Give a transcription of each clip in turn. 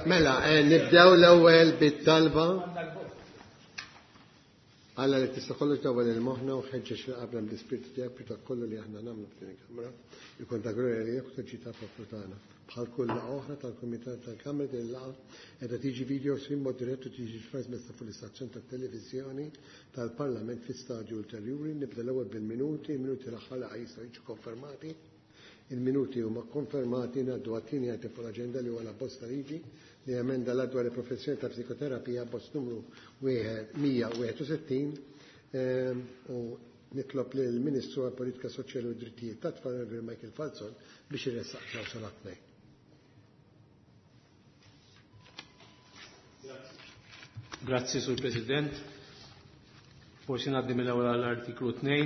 Mela, eh, nibdew l-ewwel bit-talba. Alla li tista' kollox dawwal il-moħħna u ħeġġeġ li qabla bl-ispirtu tiegħek biex dak kollu li aħna nagħmlu f'din il-kamra jkun ta' glorja lilek u ta' ġid tal-poplu tagħna. Bħal kull laqgħa oħra tal-Kumitat tal-Kamra din il-laqgħa qiegħda tiġi video stream mod dirett u tiġi trasmessa fuq l-istazzjon tat-televiżjoni tal-Parlament fi stadju ulterjuri. Nibda l-ewwel bil-minuti, il-minuti l-aħħar laqgħa jistgħu jiġu konfermati. Il-minuti huma kkonfermati. Ngħaddu għat-tieni item fuq l-aġenda li huwa l-abbozz ta' liġi li jemenda l-Att dwar il-Professjoni ta' Psikoterapija, abbozz numru 161, u nitlob lill-Ministru għall-Politika Soċjali u d-Drittijiet tat-Tfal, Onorevoli Michael Falzon, biex iressaq klawsola 2. Grazzi, Sur President. Forsi ngħaddi mill-ewwel għall-artiklu 2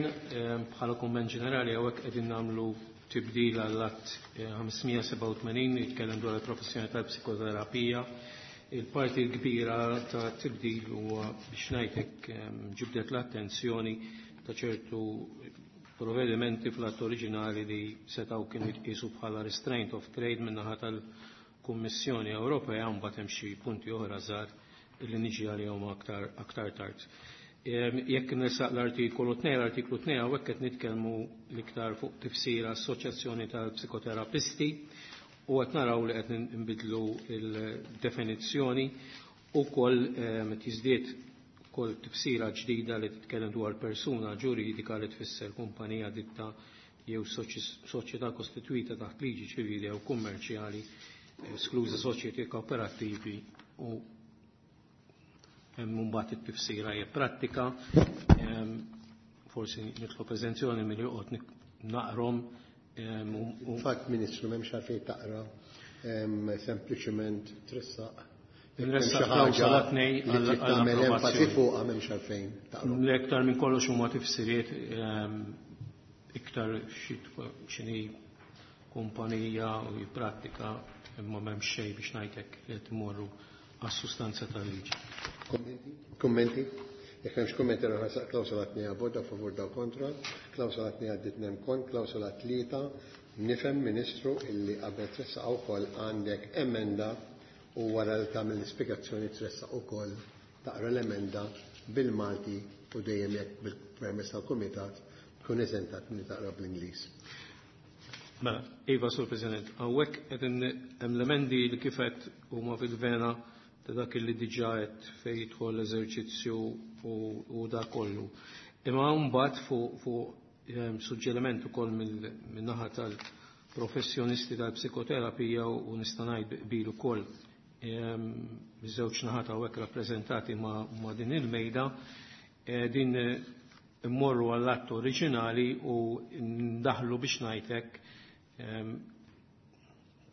bħala kumment ġenerali hawnhekk qegħdin nagħmlu tibdil għall-att 587 jitkellem dwar il-professjoni tal-psikoterapija. Il-parti l-kbira ta' tibdil huwa biex ngħidlek ġibdet l-attenzjoni ta' ċertu provvedimenti fl-att oriġinali li setgħu kienu jitqisu bħala restraint of trade min-naħa tal-Kummissjoni Ewropea mbagħad hemm xi punti oħra żgħar li niġi għalihom aktar aktar tard. Jekk nresaq l-artikolu 2, l-artiklu 2 hawnhekk qed nitkellmu l-iktar fuq tifsira assoċjazzjoni tal-psikoterapisti u qed naraw li qed nbidlu l-definizzjoni u koll tiżdied ukoll tifsira ġdida li titkellem dwar persuna ġuridika li tfisser kumpanija ditta jew soċjetà kostitwita taħt liġi ċivili jew kummerċjali, eskluża soċjetà kooperattivi u hemm mbagħad it-tifsira hija prattika. Forsi nitlob eżenzjoni milli joqgħod naqrom. Fatt Ministru m'hemmx għalfejn taqra, sempliċement tressaq. Nressaq klawsola tnej tagħmel enfasi fuqha m'hemmx għalfejn taqra. L-iktar minn kollox huma tifsiriet iktar x'inhi kumpanija u prattika imma m'hemmx xejn biex ngħidlek li qed imorru għas-sustanza tal-liġi. Kummenti? Kummenti? Jekk hemmx kummenti nħarsaq klawsola tnej għal daw favur daw kontra, klawsola tnej għaddit nem kont, klawsola tlieta, nifhem Ministru illi qabel tressaq ukoll għandek emenda u wara li tagħmel l-ispjegazzjoni tressaq ukoll taqra l-emenda bil-Malti u dejjem jekk bil-permess tal-Kumitat tkun eżentat milli taqra bl-Ingliż. Mela, Iva, Sur President, hawnhekk qed hemm l-emendi li kif qed huma fil-vena ta' dak li diġà qed fejn jidħol l-eżerċizzju u dak kollu. Imma mbagħad fuq fu, suġġeriment ukoll min-naħa tal-professjonisti tal-psikoterapija u nista' ngħid qbil ukoll miż-żewġ naħat hawnhekk rappreżentati ma', ma din il-mejda, din immorru għall-att oriġinali u ndaħlu biex ngħidlek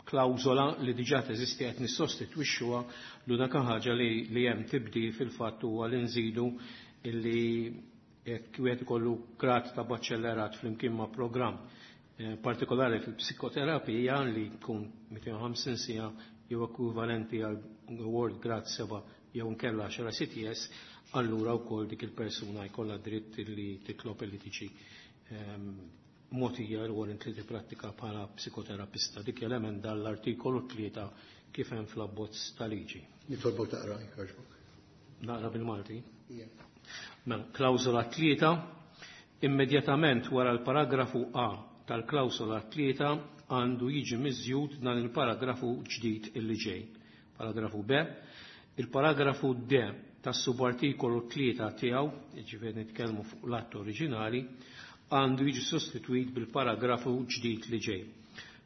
klawżola li diġà teżisti qed nissostitwixxuha l-unika ħaġa li, li hemm tibdil fil-fatt huwa li nżidu illi jekk wieħed ikollu grad ta' baċellerat flimkien ma' programm partikolari fil-psikoterapija li jkun 250 siegħa jew ekwivalenti għal award grad 7 jew nkella 10 CTS, allura wkoll dik il-persuna jkollha dritt li titlob li tiġi mogħtija l-warrant li tipprattika bħala psikoterapista. Dik l-emenda l-artikolu 3 kif hemm fl-abbozz ta' liġi. Nitolbok taqra, jogħġbok. Naqra bil-Malti. Mela, klawsola 3, immedjatament wara l-paragrafu A tal-klawsola 3 għandu jiġi miżjud dan il-paragrafu ġdid illi ġej. Paragrafu B, il-paragrafu D tas-subartikolu 3 tiegħu, jiġifieri nitkellmu fuq l-att oriġinali, għandu jiġi sostitwit bil-paragrafu ġdid li ġej.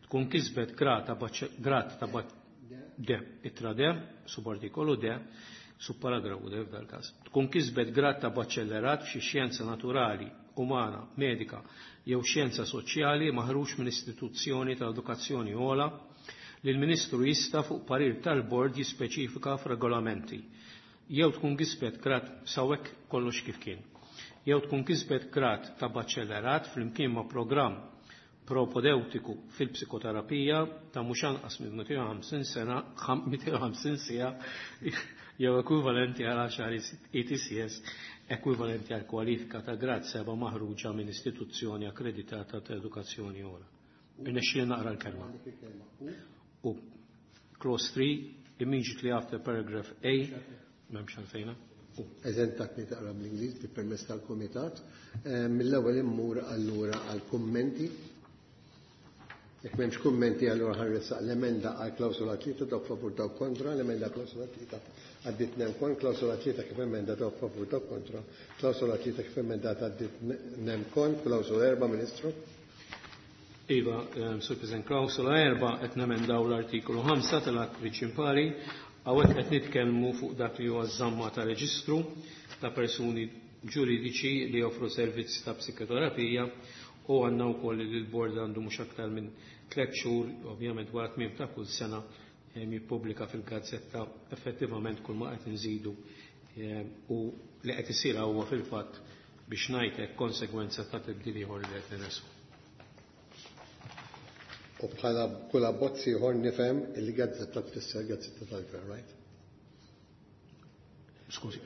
Tkun kisbet grad ta' D, ittra D, subartikolu D, subparagrafu D f'dal każ. Tkun kisbet grad ta' baċellerat f'xi xjenza naturali, umana, medika jew xjenza soċjali maħruġ minn istituzzjoni ta' edukazzjoni ogħla li l-Ministru jista' fuq parir tal-bord jispeċifika f'regolamenti. Jew tkun kisbet grad sawek kollox kif kien. Jew tkun kisbet grad ta' baċellerat flimkien ma' programm propedeutiku fil-psikoterapija ta' mhux anqas minn 250 sena 250 siegħa jew ekwivalenti għal 10 ETCS ekwivalenti għal kwalifika ta' grad 7 maħruġa minn istituzzjoni akkreditata ta' edukazzjoni ogħla. Irnexxieli naqra l-kelma. U clause 3, immediately after paragraph A, m'hemmx għalfejna. Eżentak li taqra bl-Ingliż bi permess tal-Kumitat. Mill-ewwel immur allura għal kummenti. Jekk m'hemmx kummenti, allura ħarressaq l-emenda għal klawsola 3. Dawk favur, dawk kontra, l-emenda klawsola 3 għaddiet nemkon. Klawsola 3 kif emenda, dawk favur, dawk kontra. Klawsola 3 kif emendata għaddiet nemkon. Klawsola 4, Ministru. Iva, Sur President, klawsola 4 qed nemendaw l-artikolu 5 tal-att prinċipali. Hawnhekk qed nitkellmu fuq dak li huwa żamma ta' reġistru ta' persuni ġuridiċi li joffru servizz ta' psikoterapija u għandna wkoll li l-bord għandu mhux aktar minn 3 xhur, ovvjament wara tmiem ta' kull sena, jippubblika fil-gazzetta effettivament kull ma qed nżidu u li qed isir huwa fil-fatt biex ngħidlek konsegwenza ta' tibdil ieħor li qed nirresqu. U bħala kull abbozz ieħor nifhem il-gazzetta tfisser gazzetta tal-gvern, right? Skużi.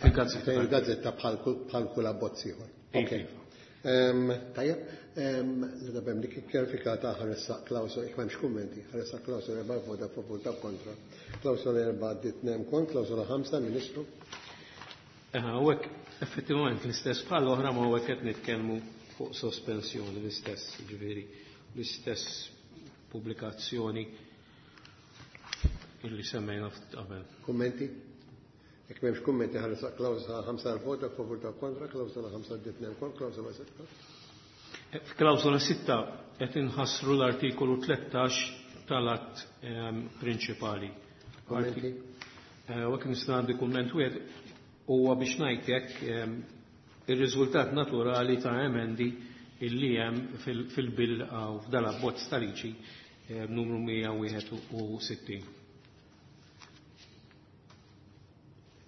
Il-gazzetta. Il-gazzetta bħal kull abbozz ieħor. Ok. Tajjeb, l-dabem dik kjarifikata ħaressa klawsola, jekk m'hemmx kummenti, ħaressa klawsola 4, vota favur, ta' kontra. Klawsola 4 għaddiet nemkon, klawsola 5, Ministru. Hawnhekk effettivament l-istess bħal oħra, ma hawnhekk qed nitkellmu fuq sospensjoni l-istess, ġifieri l-istess pubblikazzjoni illi semmejna ftit qabel. Kummenti? Jekk m'hemmx kummenti ħarsa klawsola 5 għal vota favur ta' kontra, klawsola 5 għaddiet nemkon, klawsola 6. F'klawsola 6 qed inħassru l-artikolu 13 tal-att prinċipali. Kummenti? U hekk nista' għandi kumment wieħed huwa biex ngħid hekk ir-riżultat naturali ta' emendi illi hemm fil-bill u f'dal abbozz ta' liġi numru 161.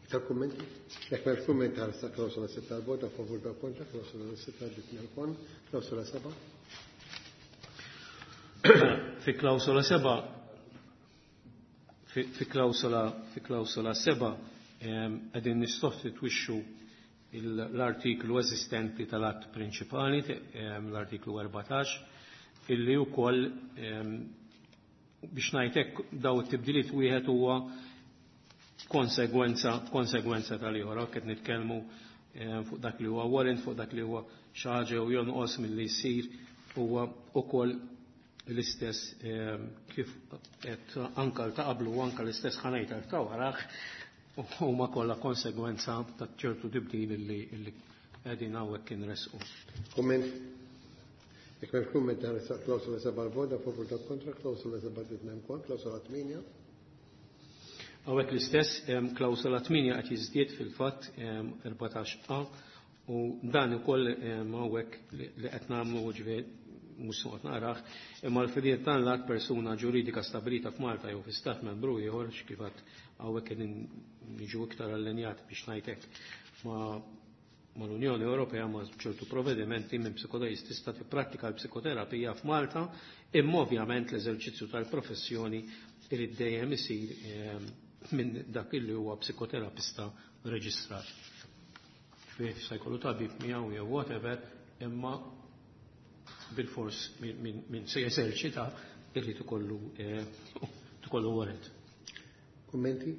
Iktar kummenti? Jekk m'hemmx kummenti ħarsa klawsola 6 għal vota favur ta' kontra, klawsola 6 għaddiet nemkon, klawsola 7. Fi klawsola 7, fi klawsola, fi klawsola 7, qegħdin nissostitwixxu l-artiklu eżistenti tal-att prinċipali, l-artiklu 14, illi wkoll biex ngħidlek daw it-tibdiliet wieħed huwa konsegwenza tal-ieħor. Qed nitkellmu fuq dak li huwa warrant, fuq dak li huwa xi ħaġa u jonqos milli jsir huwa wkoll l-istess kif qed anka ta' qablu u anka l-istess ħanejt ta' waraħ huma kollha konsegwenza ta' ċertu tibdil illi qegħdin hawnhekk inresqu. Kumment? Jekk m'hemmx kumment ħares klawsola 7 l-vota favur ta' kontra, klawsola 7 għaddiet nemkon, klawsola 8. Hawnhekk l-istess, klawsola 8 qed jiżdied fil-fatt 14 A u dan ukoll hawnhekk li qed nagħmlu ġifieri mhux se noqgħod naqrah, imma l-fidiet tan lat persuna ġuridika stabilita f'Malta jew fi stat membru ieħor kif għad hawnhekk qegħdin niġu iktar allinjati biex ngħidlek mal-Unjoni Ewropea ma' ċertu provvedimenti minn psikoterapist tista' tipprattika l-psikoterapija f'Malta, imma ovvjament l-eżerċizzju tal-professjoni irid dejjem isir minn dak illi huwa psikoterapista reġistrat. Ġifieri se jkollu tabib miegħu jew whatever, imma bil-fors minn se jeżerċita irrid ikollu warrant. Kummenti?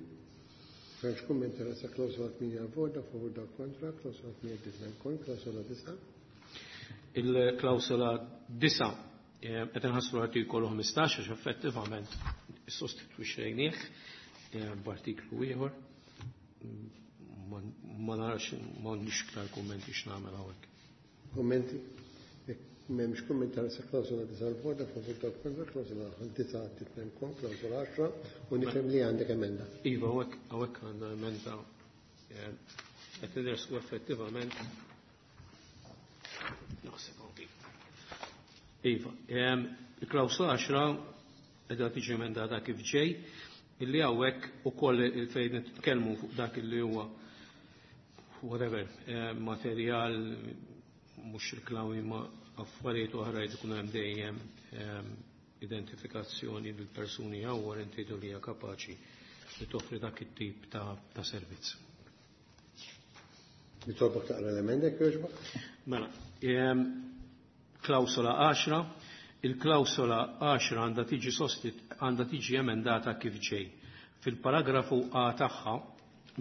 M'hemmx kummenti rasa klawsola 8 għal-vota, favur dak kontra, klawsola 8 għaddiet nemkon, klawsola 9. Il-klawsola 9 qed inħassru l-artikolu 15 għax effettivament sostitwixxejnieh b'artiklu ieħor. Ma narax, m'għandix iktar kummenti x'nagħmel hawnhekk. Kummenti? Jekk m'hemmx kummenti rasa klawsola 9 għal-vota, favur dak kontra, klawsola 9 għaddiet nemkon, klawsola 10, u nifhem li għandek emenda. Iva, hawnhekk għandna emenda qed nidresqu effettivament. Naħseb hawn. Iva, il-klawsola 10 qiegħda tiġi emendata kif ġej, illi hawnhekk ukoll fejn nitkellmu fuq dak illi huwa whatever, materjal mhux riklami ma affarijiet oħra jrid ikun hemm dejjem identifikazzjoni bil persuni jew warranted li hija kapaċi li toffri dak it-tip ta' servizz. Nitolbok taqra l-emenda jekk jogħġbok? Mela, klawsola 10, Il-klawsola 10 għandha tiġi emendata kif ġej. Fil-paragrafu A tagħha,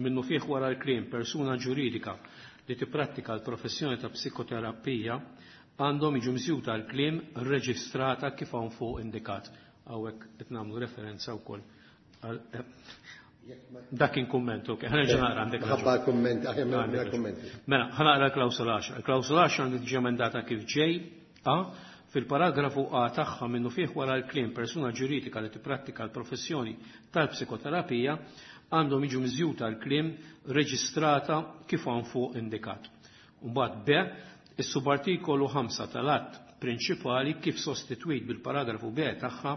minnufih wara l-kliem persuna ġuridika li tipprattika l-professjoni ta' psikoterapija għandhom jiġu miżjuda l-kliem reġistrata kif hawn fuq indikat. Hawnhekk qed nagħmlu referenza wkoll għal dak kien kumment, ok, ħa nerġa' naqra għandek raġun. Ħabba l-kumment, aħjar minn kummenti. Mela, ħa naqra l-klawsola 10. Il-klawsola 10 għandha tiġi emendata kif ġej A fil-paragrafu A tagħha minnufih wara l-kliem persuna ġuridika li tipprattika l-professjoni tal-psikoterapija għandhom jiġu miżjuta l-kliem reġistrata kif hawn fuq indikat. Mbagħad B, is-subartikolu 5 tal-att prinċipali kif sostitwit bil-paragrafu B tagħha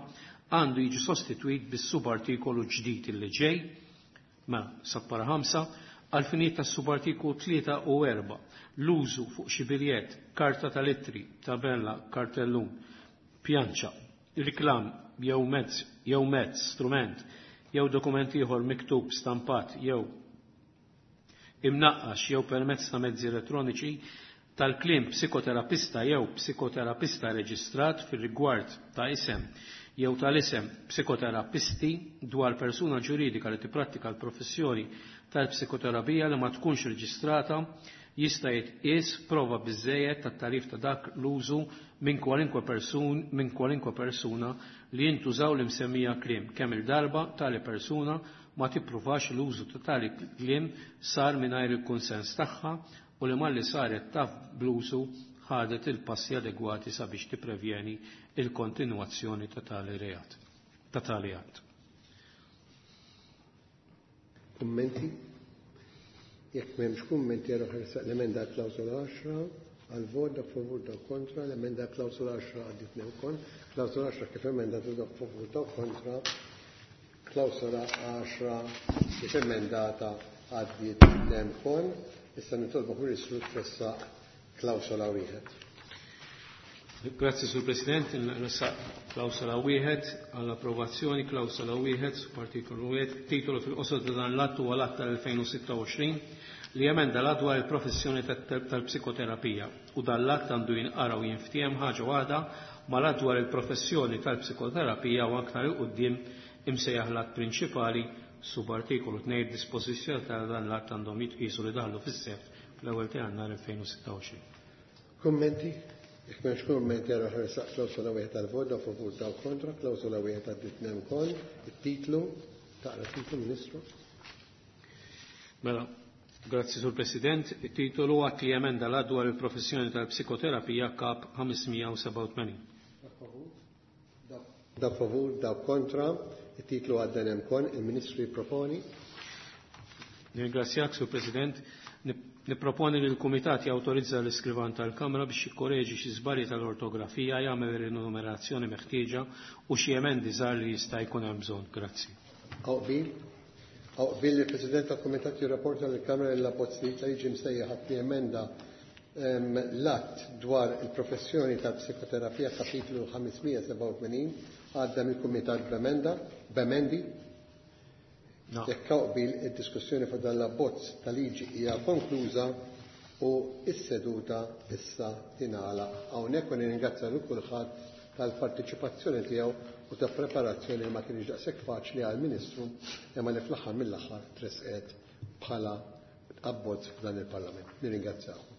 għandu jiġi sostitwit bis-subartikolu ġdid li ġej, mela sappara 5, għal-finijiet tas-subartikolu 3 u 4, l-użu fuq xi biljett, karta tal-ittri, tabella, kartellun, pjanċa, riklam jew mezz, strument, jew dokument ieħor miktub, stampat jew imnaqqax jew permezz ta' mezzi elettroniċi tal-kliem psikoterapista jew psikoterapista reġistrat fir-rigward ta' isem jew tal-isem psikoterapisti dwar persuna ġuridika li tipprattika l-professjoni tal-psikoterapija li ma tkunx reġistrata jista' jitqies prova biżżejjed tat-tagħrif ta' dak l-użu minn kwalinkwe person minn kwalinkwe persuna li jintużaw l-imsemmija kliem kemm il-darba tali persuna ma tippruvax l-użu ta' tali kliem sar mingħajr il-kunsens tagħha u li malli saret taf bl-użu ħadet il-passi adegwati sabiex tipprevjeni il-kontinwazzjoni ta' tali reat, ta' tali att. Kummenti? Jekk m'hemmx kummenti għara ħarsaq l-emenda klawsola 10 għal vot dak favur dak kontra, l-emenda klawsola 10 għaddit ukoll, klawsola 10 kif emendata dak favur dak kontra, klawsola 10 kif emendata għaddiet ukoll. Issa nitolbu Ministru tressaq klawsola wieħed. Grazzi, Sur President, nressaq klawsola wieħed għall-approvazzjoni, klawsola wieħed, artikolu wieħed, titolu fil-qosor ta' dan l-att huwa l-att tal-2026 li jemenda l-att dwar il-professjoni tal-psikoterapija u dan l-att għandu jinqara u jinftiehem ħaġa waħda mal-att dwar il-professjoni tal-psikoterapija u aktar 'il quddiem imsejjaħ l-att prinċipali subartikolu 2 dispożizzjoni ta' dan l-att għandhom jitqisu li daħlu fis-seħħ fl-ewwel ta' Jannar 2026. Kummenti? Jekk m'hemmx kummenti għara ħarsaq klawsola wieħed għal-vot dak favur dak kontra, klawsola wieħed għaddiet ukoll. It-titlu, taqra titlu Ministru. Mela, grazzi Sur President, it-titolu att li jemenda l-att dwar il-professjoni tal-psikoterapija kap 587. Dak favur, dak kontra, it-titlu għadda ukoll, il-Ministru jipproponi. Nirringrazzjak, Sur President. Niproponi li l-Kumitat jawtorizza l-iskrivan tal-Kamra biex jikkoreġi xi żbalji tal-ortografija, jagħmel rinumerazzjoni meħtieġa u xi emendi żgħar li jista' jkun hemm bżonn. Grazzi. Hawn qbil? Hawn qbil li l-President tal-Kumitat jirrapporta lill-Kamra li l-abbozz li jiġi msejjaħ att li emenda l-att dwar il-professjoni tal-psikoterapija kapitlu 587 għadda mill-Kumitat b'emenda, b'emendi. Jekk hawn qbil id-diskussjoni fuq dan l-abbozz ta' liġi hija konkluża u s-seduta issa tingħalaq. Hawnhekk u nirringrazzja lil kulħadd tal-parteċipazzjoni tiegħu u ta' preparazzjoni li ma kienx daqshekk faċli għall-Ministru imma li fl-aħħar mill-aħħar tresqet bħala abbozz f'dan il-Parlament. Nirringrazzjaw.